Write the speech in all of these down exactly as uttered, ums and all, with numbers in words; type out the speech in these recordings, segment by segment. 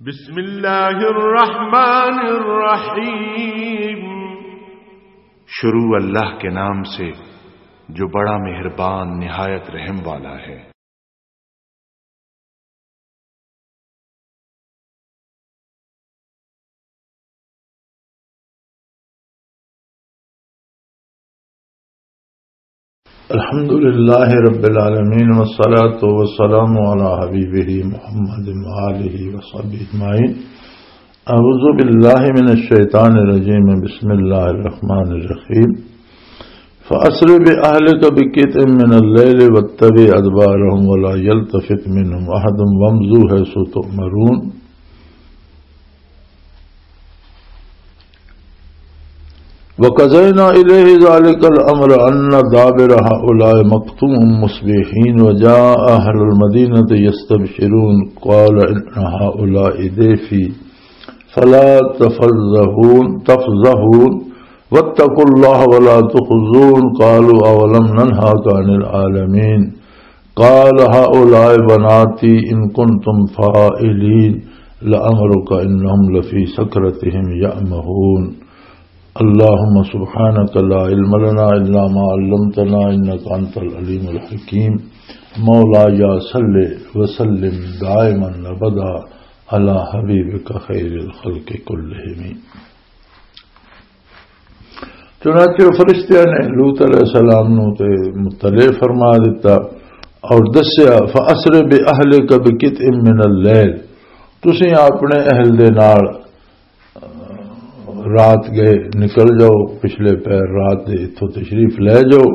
بسم اللہ الرحمن الرحیم۔ شروع اللہ کے نام سے جو بڑا مہربان نہایت رحم والا ہے۔ الحمد لله رب العالمين، والصلاة والسلام على حبيبه محمد وآله وصحبه أجمعين. أعوذ بالله من الشيطان الرجيم. بسم الله الرحمن الرحيم. فأسر بأهلك بقطع من الليل واتبع أدبارهم ولا يلتفت منهم أحد وامضوا حيث تؤمرون. وقضينا إليه ذلك الأمر أن دابر هؤلاء مقطوع مصبحين وجاء أهل المدينة يستبشرون قال إن هؤلاء ضيفي فلا تفضحون، تفضحون واتقوا الله ولا تخزون قالوا أولم ننهك عن العالمين. قال هؤلاء بناتي إن كنتم فاعلين لعمرك إنهم لفي سكرتهم يعمهون. اللهم سبحانك لا علم لنا إلا ما علمتنا إنك أنت العليم الحكيم. مولاي صل وسلم دائما أبدا على حبيبك خير الخلق كلهم. چنانچہ فرشتیاں نے لوط علیہ السلام نو تے مطلع فرما دیتا اور دسیا، "فَأَسْرِ بِأَهْلِكَ بِقِطْعٍ مِّنَ اللَّيْلِ"، تسی اپنے اہل دے نال رات گئے نکل جاؤ، پچھلے پہر رات دے اتھوں تشریف لے جاؤ۔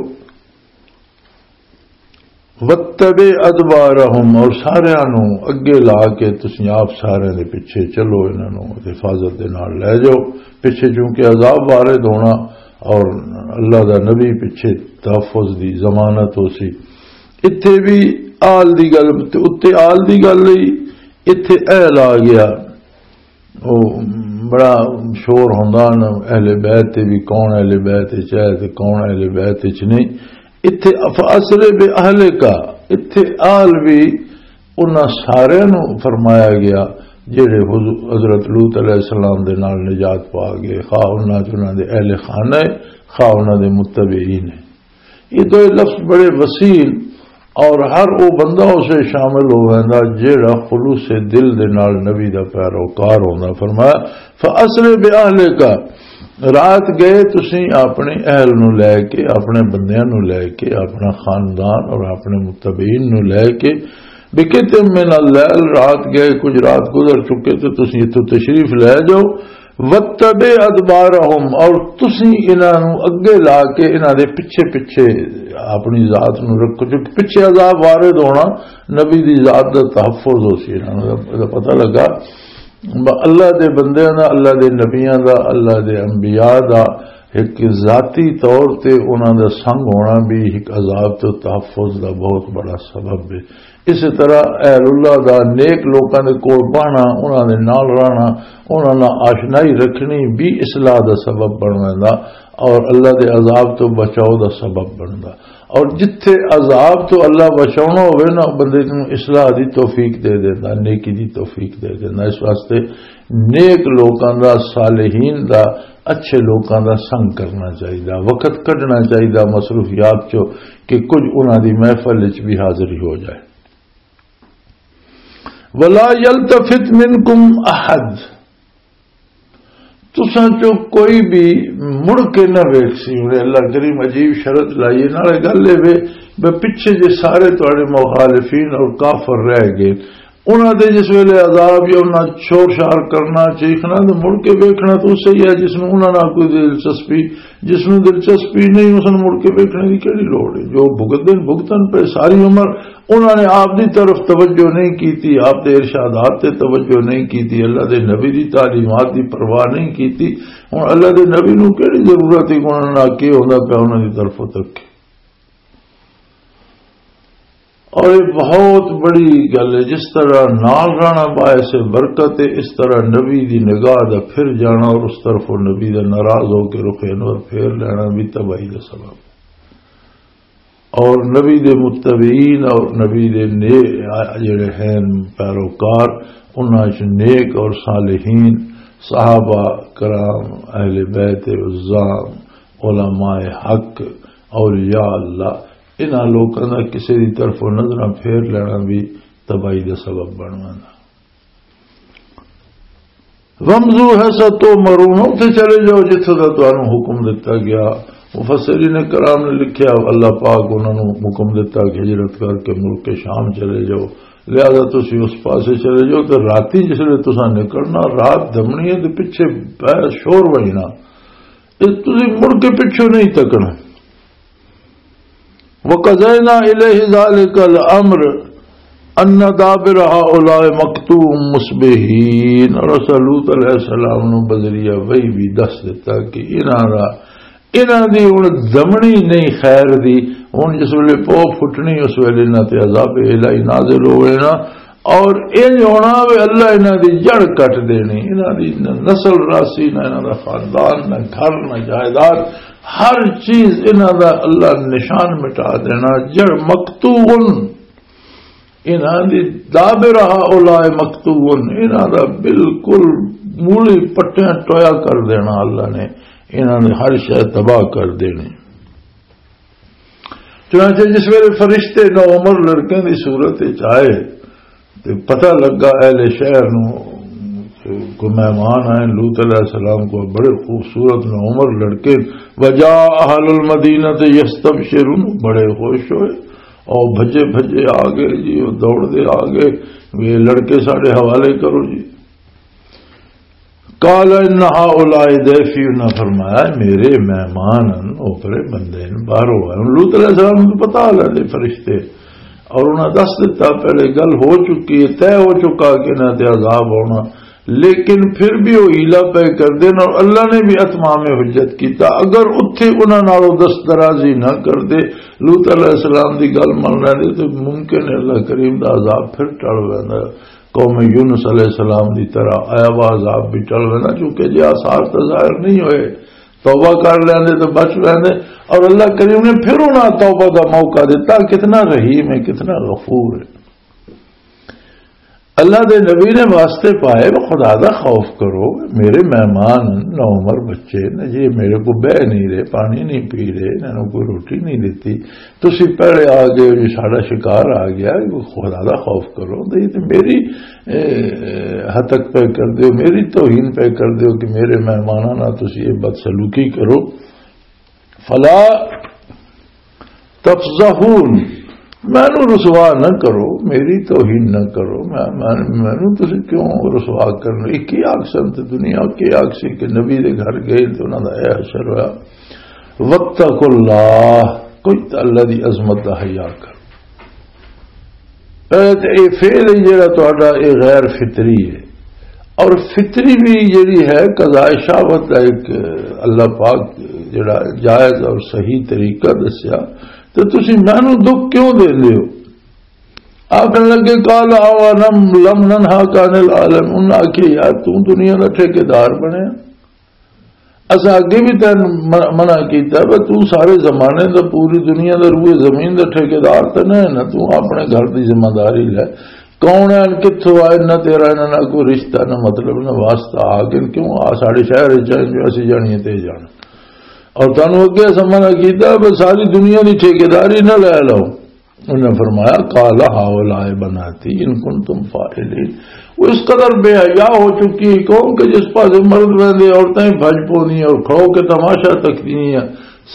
وَاتَّبِعْ أَدْبَارَهُمْ، اور ساریاں نو اگے لا کے تسی آپ ساریاں دے پیچھے چلو، انہاں نو حفاظت دے نال لے جاؤ۔ پیچھے چونکہ عذاب وارد ہونا اور اللہ دا نبی پیچھے تحفظ دی ضمانت ہو سی۔ اتھے بھی آل دی گل، تے اتے آل دی گل ہی، اتھے اہل آ گیا۔ او بڑا شور ہوندا نا، اہل بیت تے بھی کون اہل بیت وچ ہے تے کون اہل بیت وچ نہیں۔ اتھے فاسر بے اہل کا، اتھے آل بھی انہاں سارے نو فرمایا گیا جڑے حضو-، حضرت لوط علیہ السلام دے نال نجات پا گئے، خواہ انہاں چ انہاں دے اہل خانہ ہے، خواہ انہاں دے متبعین ہے۔ یہ دو لفظ بڑے وسیع اور ہر وہ بندہ اسے شامل ہو ویندا جیڑا خلوص دل دے نال نبی دا پیروکار ہوندا۔ فرمایا، "فَأَسْرِ بِأَهْلِكَ"، رات گئے تسی اپنے اہل نو لے کے، اپنے بندیاں نو لے کے، اپنا خاندان اور اپنے متبعین نو لے کے، بِقِطْعٍ مِّنَ اللَّيْلِ، رات گئے، کچھ رات گزر چکے تو تسی اتھوں تشریف لے جاؤ، وَاتَّبِعْ أَدْبَارَهُمْ، اور تسی انہاں نوں اگے لا کے انہاں دے پچھے پچھے اپنی ذات نوں رکھو، کیونکہ پچھے عذاب وارد ہونا، نبی دی ذات دا تحفظ ہو سی۔ انہاں نوں دا پتہ لگا، ب-، اللہ دے بندیاں دا، اللہ دے نبیاں دا، اللہ دے انبیاء دا ایک ذاتی طور تے انہاں دا سنگ ہونا بھی ایک عذاب تو تحفظ دا بہت بڑا سبب ہے۔ اسی طرح اہل اللہ دا نیک لوکاں دے کول بہنا، انہاں دے نال رہنا، انہاں نال آشنائی رکھنی بھی اصلاح دا سبب بن ویندا اور اللہ دے عذاب تو بچاؤ دا سبب بندا۔ اور جتھے عذاب تو اللہ بچاؤنا ہوئے نا، بندے نوں اصلاح دی توفیق دے دیندا، نیکی دی توفیق دے دیندا۔ اس واسطے نیک لوکاں دا، صالحین دا، اچھے لوکاں دا سنگ کرنا چاہیدا، وقت کڈنا چاہیدا مصروفیات چوں کہ کچھ انہاں دی محفل وچ بھی حاضری ہو جائے۔ ولا یلتفت منکم احد، تساں چوں کوئی بھی مڑ کے نہ ویکھ سی۔ ہن اللہ کریم عجیب شرط لائی ہے، نالے گل اے وے، بے پچھے جے سارے تہاڈے مخالفین اور کافر رہ گئے، انہاں دے جس ویلے عذاب یا انہاں شور شار کرنا، چیخنا، تے مڑ کے ویکھنا تو صحیح ہے، جس نوں انہاں نال کوئی دلچسپی، جس نوں دلچسپی نہیں، اس نوں مڑ کے ویکھنے دی کیڑی لوڑ ہے؟ جو بھگتن، بھگتن پہ ساری عمر، انہاں نے آپ دی طرف توجہ نہیں کیتی، آپ دے ارشادات تے توجہ نہیں کیتی، اللہ دے نبی دی تعلیمات دی پرواہ نہیں کیتی۔ ہن اللہ دے نبی نوں کیڑی ضرورت ہے کہ انہاں نال کی ہوندا پیا، انہاں دی طرفوں تک؟ اور یہ بہت بڑی گل ہے، جس طرح نال رہنا باعث برکت ہے، اس طرح نبی دی نگاہ دا پھر جانا اور اس طرف وہ نبی دا ناراض ہو کے رخ انور پھیر لینا بھی تباہی دا سبب۔ اور نبی دے متبعین اور نبی دے نے-، جڑے ہیں پیروکار، انہاں چ نیک اور صالحین، صحابہ کرام، اہل بیت عظام، علماء حق، اولیاء اللہ، انہاں لوکاں دا کسے دی طرفوں نظراں پھیر لینا بھی تباہی دا سبب بن ویندا۔ وَامْضُوا حَيْثُ تُؤْمَرُونَ، اتھے چلے جاؤ جتھے دا تانوں حکم دتا گیا۔ مفسرین کرام نے لکھیا، اللہ پاک انہاں نوں حکم دتا کہ ہجرت کر کے ملک شام چلے جاؤ، لہذا تسی اس پاسے چلے جاؤ۔ تے راتی جس ویلے تساں نکلنا، رات دمنی ہے تے پچھے پے شور وجنا، تے تسی مڑ کے پچھوں نہیں تکنا۔ وَقَضَيْنَا إِلَيْهِ ذَلِكَ الْأَمْرَ أَنَّ دَابِرَ هَؤُلَاءِ مُقْطَوْعٌ مُصْبِحِينَ۔ اور اساں لوط علیہ السلام نو بذریعہ وحی بھی دس دیتا کہ انہاں دا، انہاں دی ہن دمنی نہیں خیر دی۔ ہن جس ویلے پو پھٹنی، اس ویلے انہاں تے عذاب الہی نازل ہوئے نا، اور انج ہونا وے اللہ انہاں دی جڑ کٹ دینی، انہاں دی نہ نسل راسی، نہ انہاں دا خاندان، نہ گھر، نہ جائیداد، ہر چیز انہاں دا اللہ نشان مٹا دینا۔ جڑ مقطوعن، انہاں دی دابرہ اولائے مقطوعن، انہاں دا بالکل مولی پٹیاں ٹویا کر دینا اللہ نے، انہاں نے ہر شے تباہ کر دینی۔ چنانچہ جس ویلے فرشتے نو عمر لڑکے دی صورت وچ آئے تے پتہ لگا اہل شہر نو، کوئی مہمان آئے لوط علیہ السلام کو، بڑے خوبصورت نو عمر لڑکے، وجاء اہل المدینہ یستبشرون، بڑے خوش ہوئے اور بھجے بھجے آ گئے جی، وہ دوڑ دے آ گئے، یہ لڑکے ساڈے حوالے کرو جی۔ قال ان هؤلاء ضيفي، انہاں فرمایا، "میرے مہمان ہن، اوپرے بندے ہن، باہروں آئے ہن۔" لوط علیہ السلام نوں پتہ لگا دے فرشتے، اور انہاں دس دتا، پہلے گل ہو چکی ہے، طے ہو چکا کہ انہاں تے عذاب ہونا، لیکن پھر بھی وہ حیلہ پہ کر دین، اور اللہ نے بھی اتمام حجت کیتا۔ اگر اتھے انہاں نال وہ دست درازی نہ کر دے، لوط علیہ السلام دی گل من لیندے، تو ممکن ہے اللہ کریم دا عذاب پھر ٹل ویندا۔ قوم یونس علیہ السلام دی طرح آیا وا عذاب بھی ٹل وینا، چونکہ جے آثار تو ظاہر نہیں ہوئے، توبہ کر لیندے تو بچ ویندے، اور اللہ کریم نے پھر انہاں توبہ دا موقع دیتا۔ کتنا رحیم ہے، کتنا غفور ہے۔ اللہ دے نبی نے واسطے پائے، "خدا دا خوف کرو، میرے مہمان ہن، نو عمر بچے نے، جے میرے کو بہ نہیں رہے، پانی نہیں پی رہے، انہاں نوں کوئی روٹی نہیں دتی۔" تسی پہلے آ گئے ہو جی، ساڈا شکار آ گیا، خدا دا خوف کرو۔ تے یہ تے میری، اے، ہتک پہ کر دیو، میری توہین پہ کر دیو کہ میرے مہماناں نال تسی یہ بدسلوکی کرو۔ فلا تفضحون، مینوں رسوا نہ کرو، میری توہین نہ کرو۔ میں، میں، مینوں تسی کیوں رسوا کرنا؟ یہ کی آکھ سن تے دنیا کی آکھ سی کہ نبی دے گھر گئے تے انہاں دا اے حشر ہویا۔ واتقوا اللہ، کوئی تے اللہ دی عظمت دا حیا کر۔ اے تے اے فعل ہے جڑا تہاڈا، اے غیر فطری ہے۔ اور فطری بھی جڑی ہے، قضاء شہوت دا ایک اللہ پاک جڑا جائز اور صحیح طریقہ دسیا، تے تسی مینوں دکھ کیوں دیندے ہو؟ آکھن لگے، "قال اولم لم ننهك عن العالمين"، انہاں آکھیا، "یار، توں دنیا دا ٹھیکیدار بنیا، اساں اگے بھی تینوں م-، منع کیتا، پر توں سارے زمانے دا، پوری دنیا دا، روئے زمین دا ٹھیکیدار تے نہ ہے نا، توں اپنے گھر دی ذمہ داری لے۔ کون ہے، کتھوں آئے، نہ تیرا انہاں نال کوئی رشتہ، نہ مطلب، نہ واسطہ، آ کے کیوں آ ساڈے شہر وچ آئے جو اسی جانیے تے جان؟ اور تانوں اگے اساں منع کیتا، پر ساری دنیا دی ٹھیکیداری نہ لے لو۔" انہاں فرمایا، "قال هؤلاء بناتي إن كنتم فاعلين۔" وہ اس قدر بے حیا ہو چکی ہے قوم کہ جس پاسے مرد ویندے، عورتاں ہی بھج پوندیاں اور کھڑو کے تماشا تکدیاں،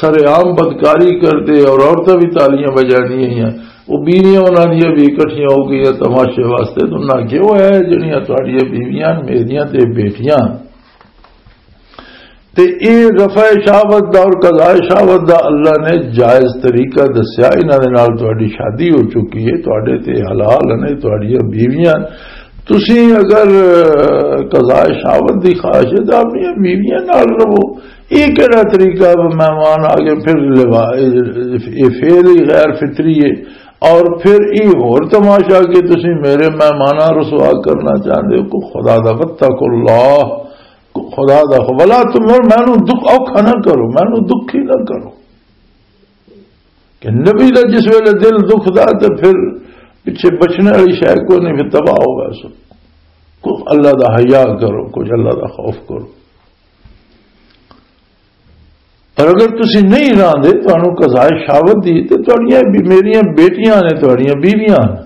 سر عام بدکاری کردے اور عورتاں بھی تالیاں بجانیاں ہیں۔ وہ بیویاں انہاں دیاں بھی اکٹھیاں ہو گئیاں تماشے واسطے، تو انہاں کہ وہ ہے جڑیاں تہاڈیاں بیویاں میریاں تے بیٹیاں۔ تے اے رفع شہوت دا اور قضاء شہوت دا اللہ نے جائز طریقہ دسیا، انہاں دے نال تہاڈی شادی ہو چکی ہے، تہاڈے تے حلال نے تہاڈیاں بیویاں۔ تسی اگر، اہ، قضاء شہوت دی خواہش ہے تو اپنی بیویاں نال رہو۔ اے کیڑا طریقہ ہے؟ مہمان آ گئے، پھر لوا-، اے، اے فعل ہی غیر فطری ہے۔ اور پھر اے ہور تماشا کہ تسی میرے مہماناں رسوا کرنا چاہندے ہو۔ کو خدا دا، واتقوا اللہ، خدا دا خو-، ولا تم، مینوں دکھ اوکھا نہ کرو، مینوں دکھی نہ کرو۔ کہ نبی دا جس ویلے دل دکھدا تے پھر پچھے بچنے والی شے کوئی نہیں، پھر تباہ ہو گیا سب۔ کچھ اللہ دا حیا کرو، کچھ اللہ دا خوف کرو۔ پر اگر تسی نہیں راندے، تانوں قضائے شہوت دی، تے تہاڈیاں بی-، میریاں بیٹیاں نے، تہاڈیاں بیویاں نے۔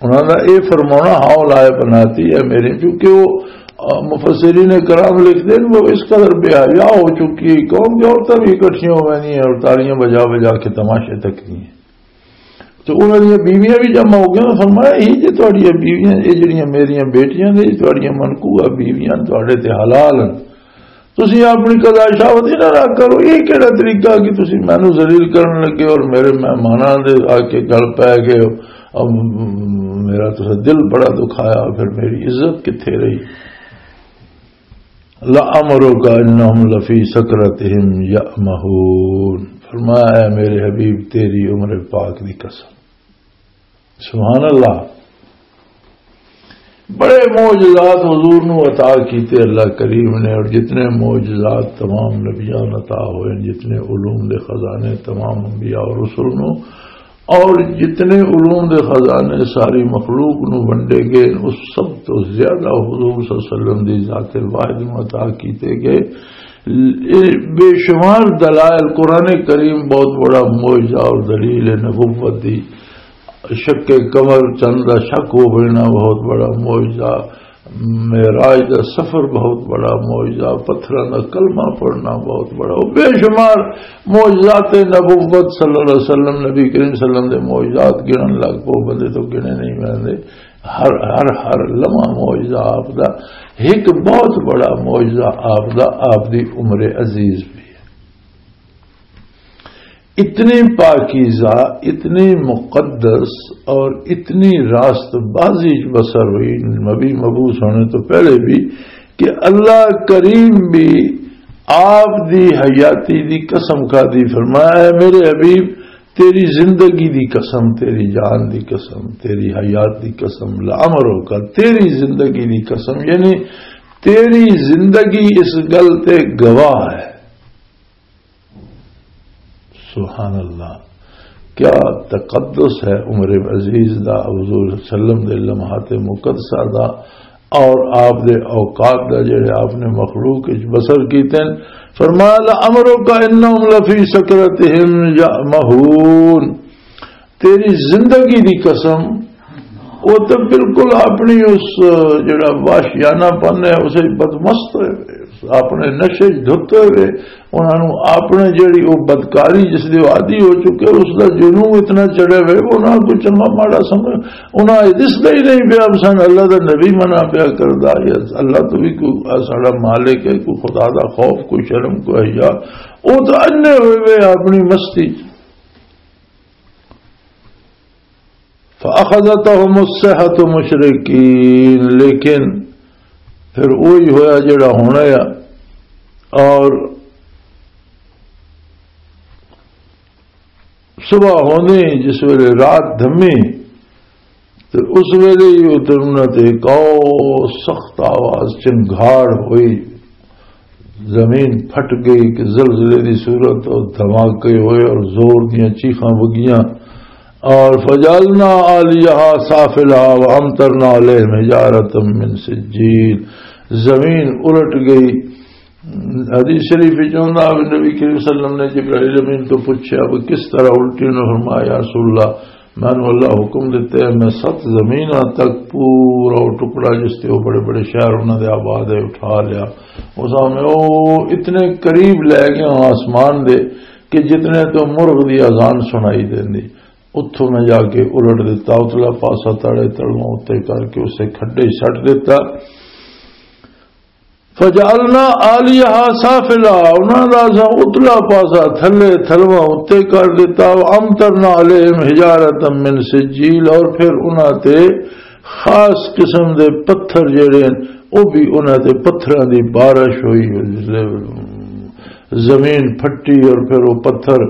انہاں دا اے فرمانا، "ہاؤ لائے بناتی ہے میری"، کیونکہ وہ، آ، مفسرین کرام لکھتے ہیں، وہ اس قدر بے حیا ہو چکی ہے قوم کہ عورتیں بھی اکٹھیاں ہو گئی ہیں اور تالیاں بجا بجا کے تماشے تک نہیں ہیں۔ تو انہاں دیاں بیویاں بھی جمع ہو گئیاں۔ فرمایا، "یہ جو تہاڈیاں بیویاں، یہ جڑیاں میریاں بیٹیاں نے، یہ تہاڈیاں منقوہ بیویاں، تہاڈے تے حلال ہیں۔ تسی اپنی قضا شاوت ہی نہ رکھ کرو۔ یہ کہڑا طریقہ کہ تسی مینوں ذلیل کرن لگے اور میرے مہماناں دے آ کے گل پے گئے ہو؟ اب میرا تو دل بڑا دکھایا، پھر میری عزت کتھے رہی؟" "لَعَمْرُكَ إِنَّهُمْ لَفِي سَكْرَتِهِمْ يَعْمَهُونَ۔" فرمایا، "اے میرے حبیب، تیری عمر پاک دی قسم۔" سبحان اللہ۔ بڑے معجزات حضور نو عطا کیتے اللہ کریم نے، اور جتنے معجزات تمام نبیان عطا ہوئے، جتنے علوم دے خزانے تمام انبیاء اور رسول نو، اور جتنے علوم دے خزانے ساری مخلوق نو ونڈے گئے، اس سب تو زیادہ حضور صلی اللہ علیہ وسلم دی ذات واحد نو عطا کیتے گئے۔ اے بے شمار دلائل، قرآن کریم بہت بڑا معجزہ اور دلیل نبوت دی۔ شق قمر، چند دا شک ہو بننا بہت بڑا معجزہ، معراج دا سفر بہت بڑا معجزہ، پتھراں دا کلمہ پڑھنا بہت بڑا، بے شمار معجزات نبوت صلی اللہ علیہ وسلم، نبی کریم صلی اللہ علیہ وسلم دے معجزات گنن لگ پو بندے تو گنے نہیں ملدے۔ ہر، ہر، ہر لمحہ معجزہ آپ دا، ایک بہت بڑا معجزہ آپ دا، آپ دی عمر عزیز بھی ہے۔ اتنی پاکیزہ، اتنی مقدس اور اتنی راست بازی بسر ہوئی نبی مبعوث ہونے تو پہلے بھی کہ اللہ کریم بھی آپ دی حیاتی دی قسم کھا دی، فرمایا، "اے میرے حبیب، تیری زندگی دی قسم، تیری جان دی قسم، تیری حیات دی قسم، لامرو کا، تیری زندگی دی قسم"، یعنی تیری زندگی اس گل تے گواہ ہے۔ سبحان اللہ، کیا تقدس ہے عمر عزیز دا، حضور صلی اللہ علیہ وسلم دے لمحات مقدسہ دا، اور آپ دے اوقات دا، جڑے آپ نے مخلوق وچ بسر کیتے ہیں۔ فرمایا، "لَعَمْرُكَ إِنَّهُمْ لَفِي سَكْرَتِهِمْ يَعْمَهُونَ۔" تیری زندگی دی قسم، وہ تو بالکل اپنی اس، جڑا وحشیانہ پن ہے، اسے بدمست ہوئے، اپنے نشے وچ دھتے ہوئے، انہاں نوں اپنے جڑی وہ بدکاری جس دے عادی ہو چکے، اس دا جنون اتنا چڑھے ہوئے، وہ انہاں کو چنگا ماڑا سمجھ، انہاں یہ دسدا ہی نہیں پیا، سن اللہ دا نبی منع پیا کردا، یا اللہ تو بھی کوئی ساڑا مالک ہے، کوئی خدا دا خوف، کوئی شرم، کوئی حیا، وہ تو انے ہوئے ہوئے اپنی مستی۔ فَأَخَذَتْهُمُ الصَّيْحَةُ مُشْرِقِينَ، لیکن پھر وہی ہویا جڑا ہونا ہے۔ اور صبح ہوندے ہی جس ویلے رات دھمی، تے اس ویلے ہی اتر انہاں تے ایک او سخت آواز چنگھاڑ ہوئی۔ زمین پھٹ گئی کہ زلزلے دی صورت اور دھماکے ہوئے اور زور دیاں چیخاں وگیاں۔ اور فجعلنا عالیہا سافلہا وامطرنا علیہم حجارۃ من سجیل، زمین الٹ گئی۔ حدیث شریف وچ آندا ہے، نبی کریم صلی اللہ علیہ وسلم نے جبرائیل امین تو پوچھا، "وہ کس طرح الٹی؟" انہوں نے فرمایا، "یا رسول اللہ، میں نے اللہ حکم دیتا ہے، میں ست زمیناں تک پورا وہ ٹکڑا جس تے وہ بڑے بڑے شہر انہاں دے آباد ہے، اٹھا لیا۔" اس میں وہ اتنے قریب لے گیا آسمان دے کہ جتنے تو مرغ دی اذان سنائی دیندی، اتھوں میں جا کے الٹ دیتا، اتلا پاسا تڑے تلواں اتنے کر کے اسے کھڈے سٹ دیتا۔ فجعلنا عالیہا سافلہا، انہاں دا اساں اتلا پاسا تھلے، تھلواں اتے کر دتا، وامطرنا علیہم حجارۃ من سجیل، اور پھر انہاں تے خاص قسم دے پتھر جڑے ہیں، او بھی انہاں تے پتھراں دی بارش ہوئی، زمین پھٹی اور پھر وہ پتھر،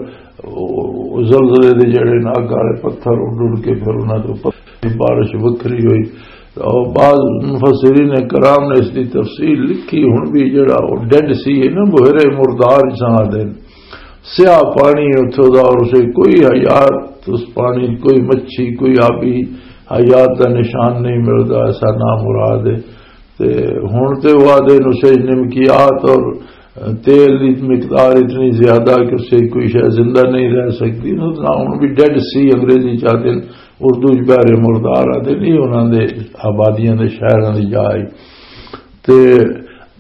وہ زلزلے دے جڑے نا اگ والے پتھر اڈ اڈ کے پھر انہاں دے اوپر بارش وکھری ہوئی۔ اور بعض مفسرین کرام نے اس دی تفصیل لکھی، ہن بھی جڑا وہ ڈیڈ سی ہے نا، بحیرہ مردار جساں آدھے، سیاہ پانی اتھوں دا، اور اسے کوئی حیات، اس پانی کوئی مچھی، کوئی آبی حیات دا نشان نہیں ملدا۔ ایسا نامراد ہے۔ تے ہن تے وہ آدھے نسے نمکیات اور تیل دی مقدار اتنی زیادہ کہ اسے کوئی شے زندہ نہیں رہ سکتی۔ نہ ہن بھی ڈیڈ سی انگریزی چاہتے ہیں، اردو چ بحر مردار آتے نہیں، انہاں دے آبادیاں دے شہراں دی جا آئی۔ تے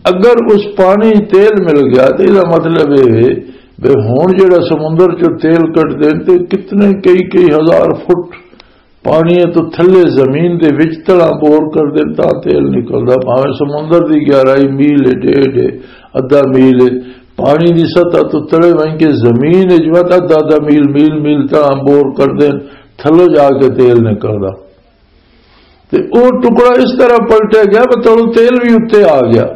اگر اس پانی تیل مل گیا تے اس دا مطلب یہ ہے بھی ہن جڑا سمندر چوں تیل کٹ دین تے کتنے کئی کئی ہزار فٹ پانی ہے تو تھلے زمین دے وچ تڑا بور کر دین تاں تیل نکلدا، بھاویں سمندر دی گہرائی میل ہے، ڈیڑھ ہے، ادھا میل ہے، پانی دی سطح تو تڑے وہیں کے زمین ہے جو ادھا ادھا میل میل میل تڑا بور کر دین، تھلو جا کے تیل نکلدا۔ تے او ٹکڑا اس طرح پلٹیا گیا کہ تلوں تیل بھی اتتے آ گیا۔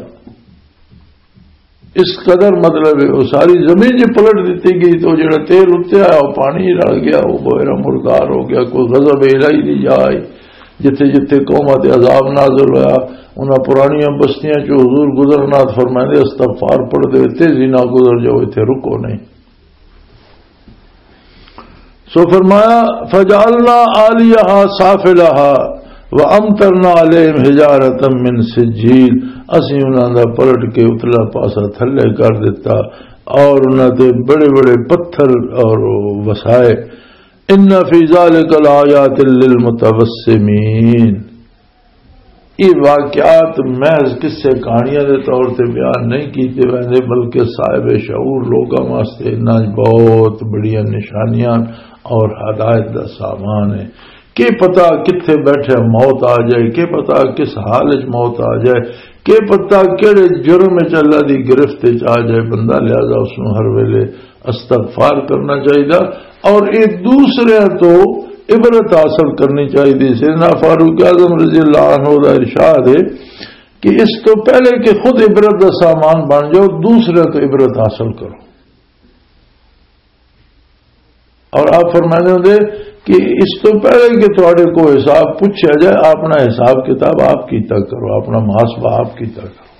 اس قدر مطلب ہے، وہ ساری زمین جی پلٹ دیتی گئی، تو جڑا تیل اتتے آیا، وہ پانی رل گیا، وہ بحیرہ مردار ہو گیا۔ کوئی غضب الہی دی جا آئی، جتھے جتھے قوماں تے عذاب نازل ہویا، انہاں پرانیاں بستیاں چ حضور گزرنا فرمائے، استغفار پڑھ دے، تیزی نہ گزر جاؤ، اتھے رکو نہیں۔ سو فرمایا، فجعلنا عالیہا سافلہا وامطرنا علیہم حجارۃ من سجیل، اسی انہاں دا پلٹ کے اتلا پاسا تھلے کر دیتا اور انہاں تے بڑے بڑے پتھر اور وسائے۔ ان فی ذلک لآیات للمتوسمین، یہ واقعات محض قصے کہانیاں دے طور تے بیان نہیں کیتے ویندے، بلکہ صاحب شعور لوگاں واسطے انہاں وچ بہت بڑیاں نشانیاں اور ہدایت دا سامان ہے۔ کہ پتہ کتھے بیٹھے موت آ جائے، کہ پتہ کس حال وچ موت آ جائے، کہ پتہ کہڑے جرم وچ اللہ دی گرفت وچ آ جائے بندہ، لہذا اس نوں ہر ویلے استغفار کرنا چاہیے اور یہ دوسرے تو عبرت حاصل کرنی چاہیے۔ سیدنا فاروق اعظم رضی اللہ عنہ دا ارشاد ہے کہ اس تو پہلے کہ خود عبرت دا سامان بن جاؤ، دوسرے تو عبرت حاصل کرو۔ اور آپ فرماندے ہوندے کہ اس تو پہلے کہ تہاڈے کو حساب پوچھا جائے، اپنا حساب کتاب آپ کیتا کرو، اپنا محاسبہ آپ کیتا کرو۔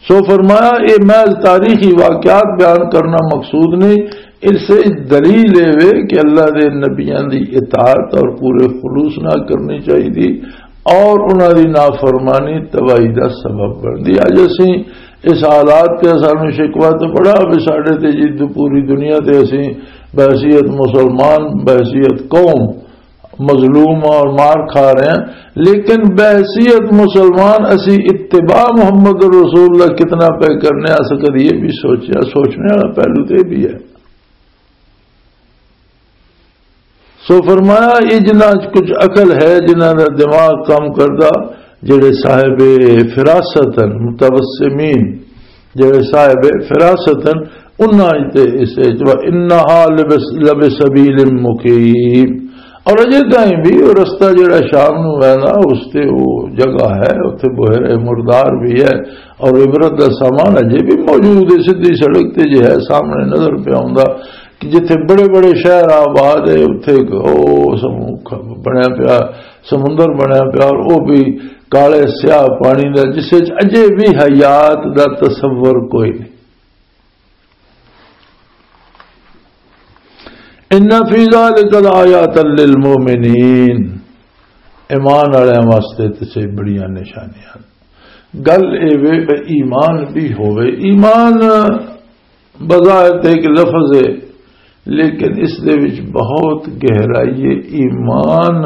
سو فرمایا، یہ محض تاریخی واقعات بیان کرنا مقصود نہیں، اس سے دلیل یہ وے کہ اللہ دے نبیاں دی اطاعت اور پورے خلوص نہ کرنی چاہیے اور انہاں دی نافرمانی تباہی دا سبب بندی۔ اج اسی اس حالات تے سانوں شکوہ تو بڑا وے ساڈے تے جی، پوری دنیا تے اسی بحیثیت مسلمان، بحیثیت قوم مظلوم اور مار کھا رہے ہیں، لیکن بحیثیت مسلمان اسی اتباع محمد رسول اللہ کتنا پہ کرنے آ سکتے، یہ بھی سوچیا، سوچنے والا پہلو تو یہ بھی ہے۔ سو فرمایا، یہ جنہاں چ کچھ عقل ہے، جنہاں دا دماغ کام کردا، جڑے صاحب فراست ہیں، متوسمین، جڑے صاحب فراست ہیں، انہاں تے اس وچ، وَإِنَّهَا لَبِسَبِيلٍ مُقِيمٍ۔ اور اجے تائیں بھی وہ رستہ جڑا شام نو ہے نا، اس تے وہ جگہ ہے، اتھے بحیرہ مردار بھی ہے، اور عبرت دا سامان اجے بھی موجود ہے، سیدھی سڑک تے جے ہے، سامنے نظر پہ آوندا کہ جتھے بڑے بڑے شہر آباد ہے، اتھے او سمو-، بنیا پیا، سمندر بنیا پیا، اور او بھی کالے سیاہ پانی دا، جس وچ اجے بھی حیات دا تصور کوئی نہیں۔ ان فی ذلک لآیات للمؤمنین، ایمان والوں واسطے تے سے بڑیاں نشانیاں۔ گل اے وے کہ ایمان بھی ہوے، ایمان بظاہر تے ایک لفظ ہے، لیکن اس دے وچ بہت گہرائی ہے۔ ایمان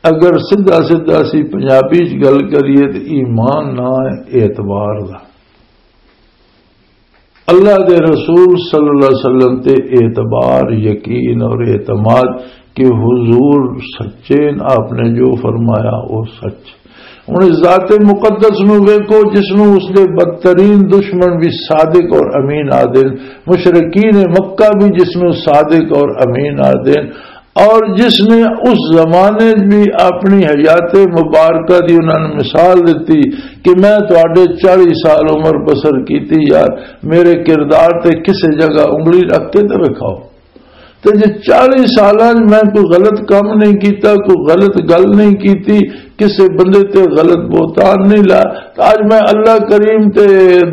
اگر سیدھا سیدھا اسی پنجابی چ گل کریے تو ایمان نہ ہے اعتبار دا۔ اللہ دے رسول صلی اللہ علیہ وسلم تے اعتبار، یقین اور اعتماد کہ حضور سچے، آپ نے جو فرمایا وہ سچ۔ ہن اس ذات مقدس نو ویکھو، جس نو اس دے بدترین دشمن بھی صادق اور امین آدن، مشرکین مکہ بھی جس نو صادق اور امین آدن، اور جس نے اس زمانے بھی اپنی حیات مبارکہ دی انہاں نے مثال دتی کہ میں تہاڈے چالیس سال عمر بسر کیتی، یار میرے کردار تے کسے جگہ انگلی رکھ کے تے وکھاؤ۔ تے جے چالیس سالاں وچ میں کوئی غلط کام نہیں کیتا، کوئی غلط گل نہیں کیتی، کسے بندے تے غلط بہتان نہیں لایا، تے اج میں اللہ کریم تے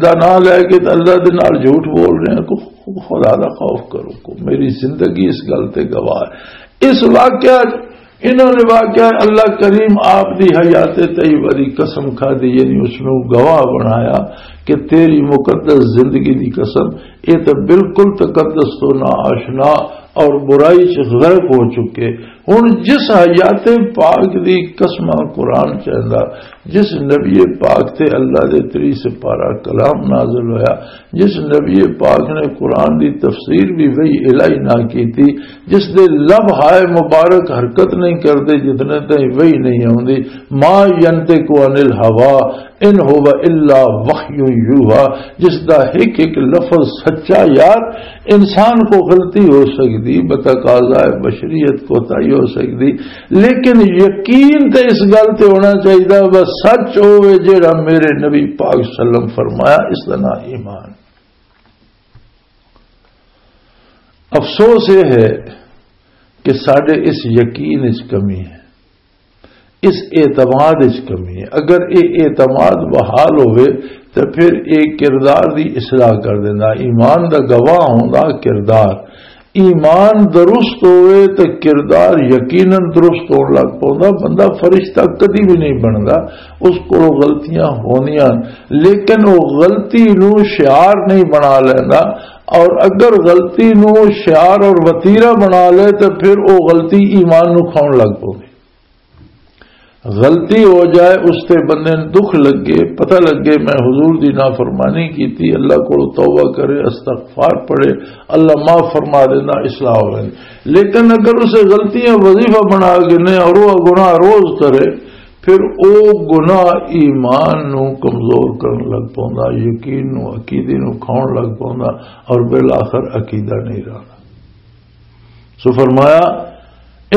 دا نام لے کے تے اللہ دے نال جھوٹ بول رہا ہاں۔ کوئی خدا دا خوف کرو کو، میری زندگی اس گل تے گواہ ہے۔ اس واقعہ، انہوں نے واقعہ اللہ کریم آپ دی حیات طیبہ دی قسم کھا دی، یعنی اس نو گواہ بنایا کہ تیری مقدس زندگی دی قسم، یہ تو بالکل تقدس تو نا آشنا اور برائی چ غرق ہو چکے۔ ہن جس حیات پاک دی قسم قرآن چاہندا، جس نبی پاک تے اللہ دے تری سپارہ کلام نازل ہویا، جس نبی پاک نے قرآن دی تفسیر بھی وہی الہی نہ کیتی، جس دے لب ہائے مبارک حرکت نہیں کردے جتنے تائیں وہی نہیں آوندی، ما ينطق عن الهوى إن هو إلا وحي يوحى، جس دا ایک ایک لفظ سچا یار، انسان کو غلطی ہو سکتی، بتقاضائے بشریت کوتاہی ہو سکتی، لیکن یقین تے اس گل تے ہونا چاہیے، بس سچ ہوے جیڑا میرے نبی پاک صلی اللہ علیہ وسلم فرمایا، اس دا نام ایمان۔ افسوس یہ ہے کہ ساڈے اس یقین وچ کمی ہے، اس اعتماد وچ کمی ہے۔ اگر یہ اعتماد بحال ہوئے تو پھر یہ کردار دی اصلاح کر دینا۔ ایمان دا گواہ ہوندا کردار۔ ایمان درست ہوئے تو کردار یقیناً درست ہون لگ پوندا۔ بندہ فرشتہ کدی بھی نہیں بندا، اس کو غلطیاں ہوندیاں، لیکن وہ غلطی نو شعار نہیں بنا لیندا۔ اور اگر غلطی نو شعار اور وتیرا بنا لے تو پھر وہ غلطی ایمان نو کھاؤن لگ پوندی۔ غلطی ہو جائے، اس تے بندے نوں دکھ لگے، پتہ لگے، میں حضور دی نافرمانی کیتی، اللہ کول توبہ کرے، استغفار پڑھے، اللہ معاف فرما دینا، اصلاح ہو جائے۔ لیکن اگر اسے غلطیاں وظیفہ بنا کے نے اور وہ گناہ روز کرے، پھر او گناہ ایمان نو کمزور کرن لگ پوندا، یقین نو، عقیدے نو کھاؤن لگ پوندا، اور بالآخر عقیدہ نہیں رہنا۔ سو فرمایا،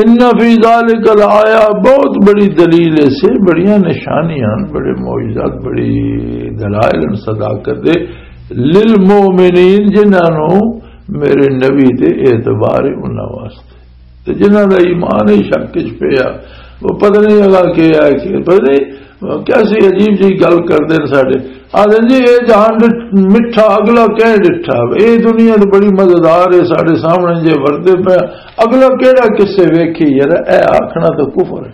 ان فی ذالک لآیہ، بہت بڑی دلیل ہے، سے بڑیاں نشانیاں، بڑے معجزات، بڑی دلائل ان صداقت دے، للمؤمنین، جنہاں نو میرے نبی تے اعتبار ہے انہاں واسطے، تے جنہاں دا ایمان ہی شک وچ پیا، وہ پتہ نہیں اگلا کیا ہے، کہ پتہ نہیں کیسی عجیب جی گل کردے نے ساڈے۔ آدھے جی، اے جہان ڈٹ-، مٹھا، اگلا کہہ ڈٹھا، اے دنیا تے بڑی مزیدار ہے، ساڈے سامنے جے وردے پے، اگلا کہڑا کسے ویکھی یار، اے آکھنا تے کفر ہے۔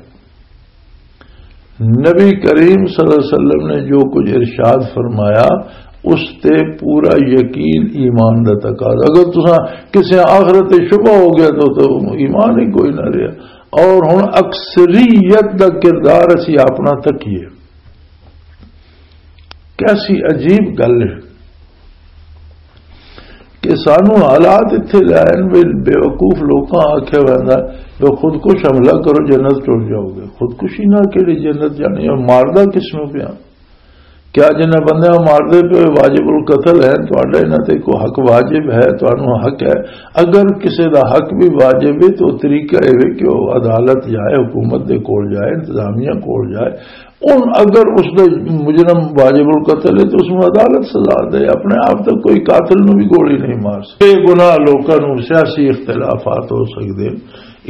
نبی کریم صلی اللہ علیہ وسلم نے جو کچھ ارشاد فرمایا، اس تے پورا یقین ایمان دا تقاضا۔ اگر تساں کسے آخرت تے شبہ ہو گیا تو، تو ایمان ہی کوئی نہ رہیا۔ اور ہن اکثریت دا کردار اسی اپنا تکیے۔ کیسی عجیب گل ہے کہ سانو حالات اتھے لے آئے نے، بے وقوف لوکاں آکھیا ویندا، "لو خودکش حملہ کرو، جنت ٹر جاؤ گے۔" خودکشی نہ کیڑی جنت جانی ہے؟ ماردا کس نو پیا؟ کیا جنہاں بندیاں ماردے پے واجب القتل ہیں، تہاڈا انہاں تے کوئی حق واجب ہے؟ تہانوں حق ہے۔ اگر کسے دا حق بھی واجب ہے تو طریقہ اے وے کہ وہ عدالت جائے، حکومت دے کول جائے، انتظامیہ کول جائے۔ ان اگر اس دا مجرم واجب القتل ہے تو اس نوں عدالت سزا دے۔ اپنے آپ تے کوئی قاتل نوں بھی گولی نہیں مار سکتا۔ یہ گناہ لوکاں نوں سیاسی اختلافات ہو سکدے،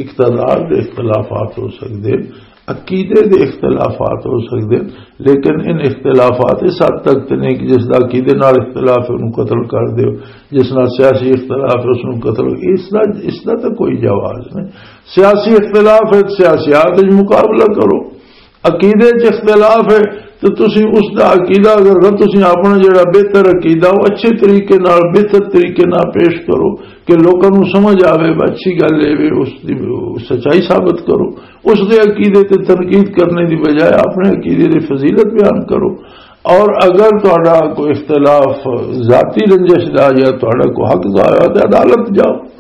اقتدار دے اختلافات ہو سکدے، عقیدے دے اختلافات ہو سکدے، لیکن ان اختلافات اس حد تک تے نہیں کہ جس دا عقیدے نال اختلاف ہے، انہوں قتل کر دیو، جس نال سیاسی اختلاف ہے، اس نوں قتل، اس دا، اس دا تے کوئی جواز نہیں۔ سیاسی اختلاف ہے، سیاسیات وچ مقابلہ کرو۔ عقیدے چ اختلاف ہے تو تسی اس دا عقیدہ، اگر تسی اپنا جڑا بہتر عقیدہ وہ اچھے طریقے نال، بہتر طریقے نال پیش کرو کہ لوکاں نوں سمجھ آوے، اچھی گل اے وے، اس دی سچائی ثابت کرو۔ اس دے عقیدے تے تنقید کرنے دی بجائے اپنے عقیدے دی فضیلت بیان کرو۔ اور اگر تہاڈا کوئی اختلاف ذاتی رنجش دا یا تہاڈا کوئی حق ضائع ہو تے عدالت جاؤ۔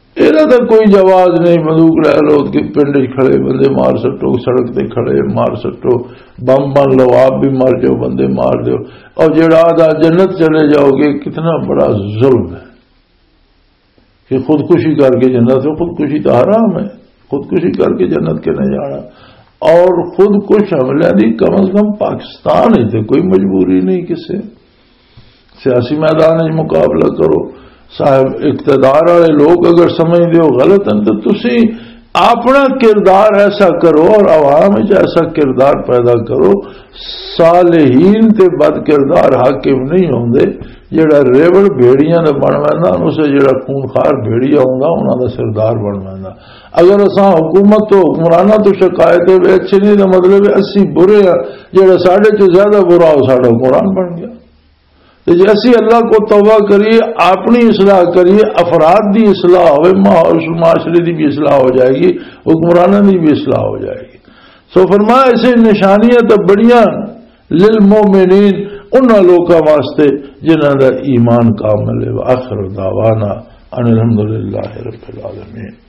ایہدا تے کوئی جواز نہیں، بندوق لے لو کہ پنڈ وچ کھڑے بندے مار سٹو، سڑک تے کھڑے مار سٹو، بم بن لو، آپ بھی مر جاؤ، بندے مار دیو۔ اور جڑا آدھا جنت چلے جاؤ گے، کتنا بڑا ظلم ہے کہ خودکشی کر کے جنت، تو خودکشی تو حرام ہے، خودکشی کر کے جنت کے نہیں جانا۔ اور خودکش حملے دی کم از کم پاکستان ہے تے کوئی مجبوری نہیں کسے۔ سیاسی میدان وچ مقابلہ کرو۔ صاحب اقتدار والے لوگ اگر سمجھدے ہو غلط ہیں تو تسی اپنا کردار ایسا کرو اور عوام وچ ایسا کردار پیدا کرو۔ صالحین تے بد کردار حاکم نہیں ہوندے۔ جڑا ریوڑ بھیڑیاں دا بن ویندا، اسے جڑا خونخوار بھیڑیا ہوندا، انہاں دا سردار بن ویندا۔ اگر اساں حکومت تو، حکمراناں تو شکایت ہے وے اچھے نہیں، دا مطلب ہے اسی برے ہاں۔ جڑا ساڈے چ زیادہ برا، وہ ساڈا حکمران بن گیا۔ تے جے اسی اللہ کو توبہ کریے، اپنی اصلاح کریے، افراد دی اصلاح ہوئے، ماحول، معاشرے دی بھی اصلاح ہو جائے گی، حکمرانوں دی بھی اصلاح ہو جائے گی۔ سو فرمایا، اسے نشانیاں تو بڑیاں للمؤمنین، انہاں لوکاں واسطے جنہاں دا ایمان کامل ہے۔ وآخر دعوانا ان الحمدللہ رب العالمین۔